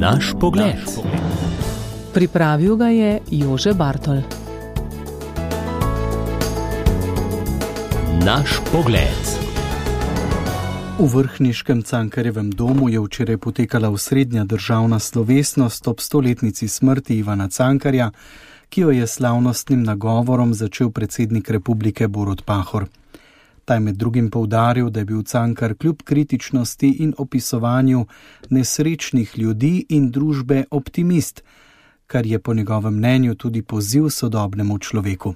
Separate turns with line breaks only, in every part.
Naš pogled.
Pripravil ga je Jože Bartol.
Naš pogled.
V vrhniškem Cankarjevem domu je včeraj potekala osrednja državna slovesnost ob 100-letnici smrti Ivana Cankarja, ki jo je slavnostnim nagovorom začel predsednik republike Borut Pahor. Ta je med drugim poudaril, da je bil Cankar kljub kritičnosti in opisovanju nesrečnih ljudi in družbe optimist, kar je po njegovem mnenju tudi poziv sodobnemu človeku.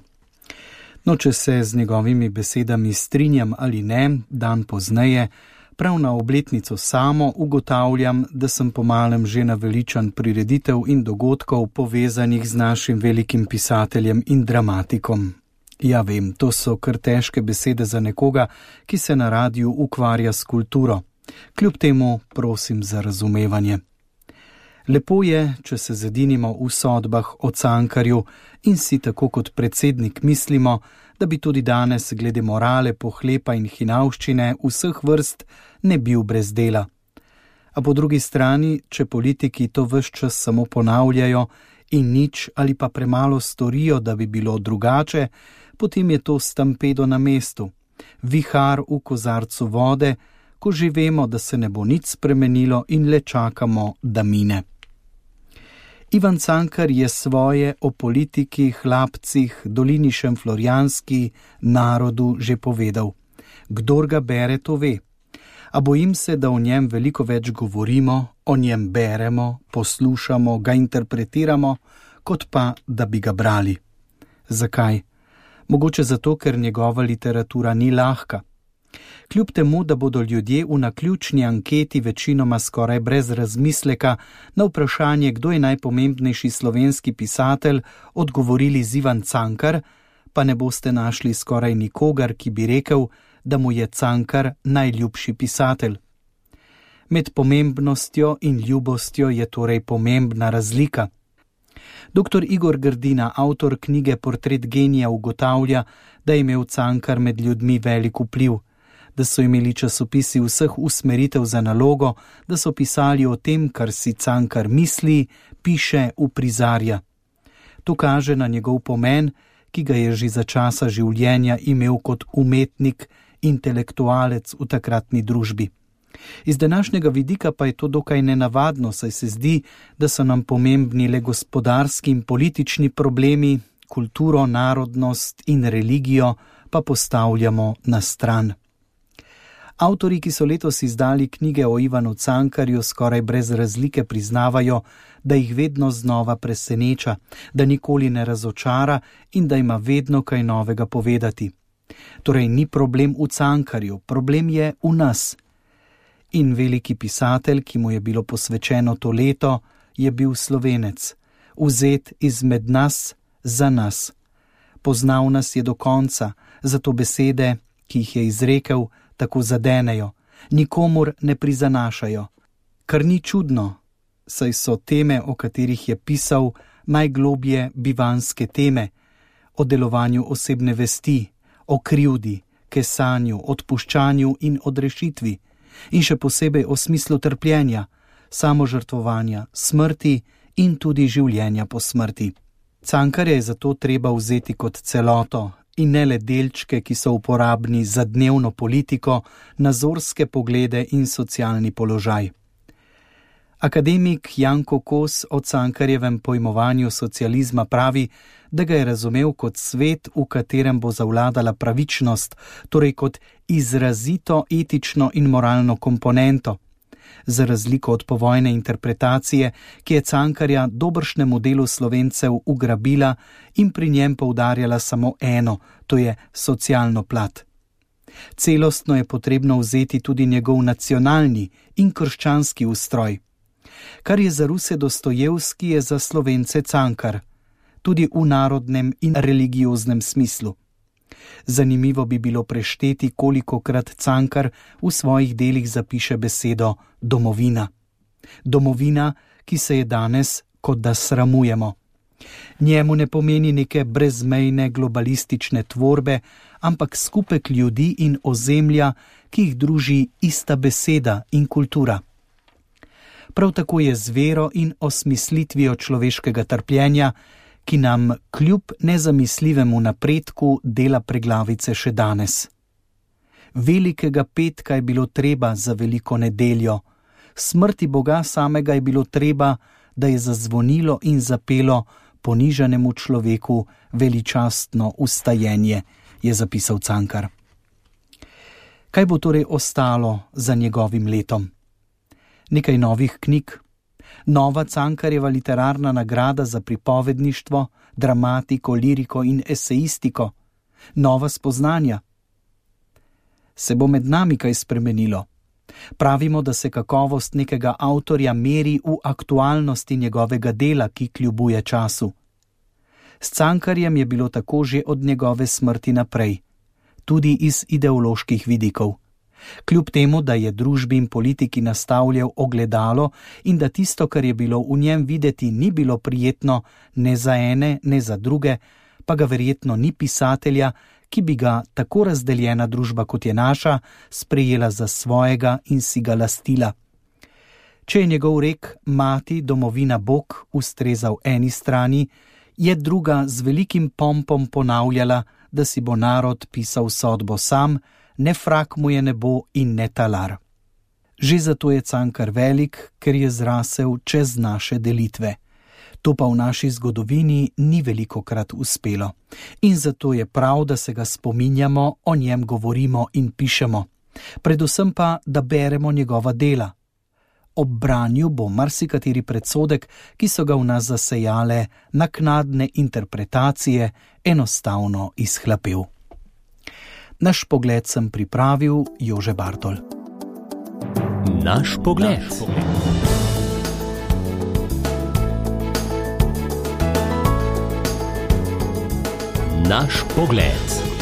No, če se z njegovimi besedami strinjam ali ne, dan pozneje, prav na obletnico samo ugotavljam, da sem pomalem že naveličan prireditev in dogodkov povezanih z našim velikim pisateljem in dramatikom. Ja, vem, to so kar težke besede za nekoga, ki se na radiu ukvarja s kulturo. Kljub temu prosim za razumevanje. Lepo je, če se zedinimo v sodbah o Cankarju in si tako kot predsednik mislimo, da bi tudi danes glede morale, pohlepa in hinavščine vseh vrst ne bil brez dela. A po drugi strani, če politiki to ves čas samo ponavljajo in nič ali pa premalo storijo, da bi bilo drugače, potem je to stampedo na mestu, vihar v kozarcu vode, ko že vemo, da se ne bo nič spremenilo in le čakamo, da mine. Ivan Cankar je svoje o politiki, hlapcih, dolini Šentflorjanski, narodu že povedal. Kdor ga bere, to ve. A bojim se, da o njem veliko več govorimo, o njem beremo, poslušamo, ga interpretiramo, kot pa, da bi ga brali. Zakaj? Mogoče zato, ker njegova literatura ni lahka. Kljub temu, da bodo ljudje v naključni anketi večinoma skoraj brez razmisleka na vprašanje, kdo je najpomembnejši slovenski pisatelj, odgovorili Ivan Cankar, pa ne boste našli skoraj nikogar, ki bi rekel, da mu je Cankar najljubši pisatelj. Med pomembnostjo in ljubostjo je torej pomembna razlika. Dr. Igor Grdina, avtor knjige Portret genija, ugotavlja, da je imel Cankar med ljudmi velik vpliv, da so imeli časopisi vseh usmeritev za nalogo, da so pisali o tem, kar si Cankar misli, piše, uprizarja. To kaže na njegov pomen, ki ga je že za časa življenja imel kot umetnik, intelektualec v takratni družbi. Iz današnjega vidika pa je to dokaj nenavadno, saj se zdi, da so nam pomembni le gospodarski in politični problemi, kulturo, narodnost in religijo pa postavljamo na stran. Avtorji, ki so letos izdali knjige o Ivanu Cankarju, skoraj brez razlike priznavajo, da jih vedno znova preseneča, da nikoli ne razočara in da ima vedno kaj novega povedati. Torej ni problem v Cankarju, problem je v nas. In veliki pisatelj, ki mu je bilo posvečeno to leto, je bil Slovenec, vzet izmed nas za nas. Poznal nas je do konca, zato besede, ki jih je izrekel, tako zadenejo, nikomur ne prizanašajo. Kar ni čudno, saj so teme, o katerih je pisal, najglobje bivanske teme, o delovanju osebne vesti, o krivdi, kesanju, odpuščanju in odrešitvi, in še posebej o smislu trpljenja, samožrtvovanja, smrti in tudi življenja po smrti. Cankarja je zato treba vzeti kot celoto in ne le delčke, ki so uporabni za dnevno politiko, nazorske poglede in socialni položaj. Akademik Janko Kos o Cankarjevem pojmovanju socializma pravi, da ga je razumel kot svet, v katerem bo zavladala pravičnost, torej kot izrazito etično in moralno komponento. Za razliko od povojne interpretacije, ki je Cankarja dobršnemu delu Slovencev ugrabila in pri njem poudarjala samo eno, to je socialno plat. Celostno je potrebno vzeti tudi njegov nacionalni in krščanski ustroj. Kar je za Ruse Dostojevski, je za Slovence Cankar, tudi v narodnem in religioznem smislu. Zanimivo bi bilo prešteti, kolikokrat Cankar v svojih delih zapiše besedo domovina. Domovina, ki se je danes, kot da sramujemo. Njemu ne pomeni neke brezmejne globalistične tvorbe, ampak skupek ljudi in ozemlja, ki jih druži ista beseda in kultura. Prav tako je z vero in osmislitvijo človeškega trpljenja, ki nam kljub nezamisljivemu napredku dela preglavice še danes. Velikega petka je bilo treba za veliko nedeljo, smrti Boga samega je bilo treba, da je zazvonilo in zapelo ponižanemu človeku veličastno vstajenje, je zapisal Cankar. Kaj bo torej ostalo za njegovim letom? Nekaj novih knjig, nova Cankarjeva literarna nagrada za pripovedništvo, dramatiko, liriko in esejistiko, nova spoznanja. Se bo med nami kaj spremenilo? Pravimo, da se kakovost nekega avtorja meri v aktualnosti njegovega dela, ki kljubuje času. S Cankarjem je bilo tako že od njegove smrti naprej, tudi iz ideoloških vidikov. Kljub temu, da je družbi in politiki nastavljal ogledalo in da tisto, kar je bilo v njem videti, ni bilo prijetno ne za ene, ne za druge, pa ga verjetno ni pisatelja, ki bi ga tako razdeljena družba, kot je naša, sprejela za svojega in si ga lastila. Če je njegov rek Mati, domovina, Bog ustrezal eni strani, je druga z velikim pompom ponavljala, da si bo narod pisal sodbo sam, ne frak mu je nebo in ne talar. Že zato je Cankar velik, ker je zrasel čez naše delitve. To pa v naši zgodovini ni velikokrat uspelo. In zato je prav, da se ga spominjamo, o njem govorimo in pišemo. Predvsem pa, da beremo njegova dela. Ob branju bo marsikateri predsodek, ki so ga v nas zasejale naknadne interpretacije, enostavno izhlapel. Naš pogled sem pripravil Jože Bartol.
Naš pogled. Naš pogled.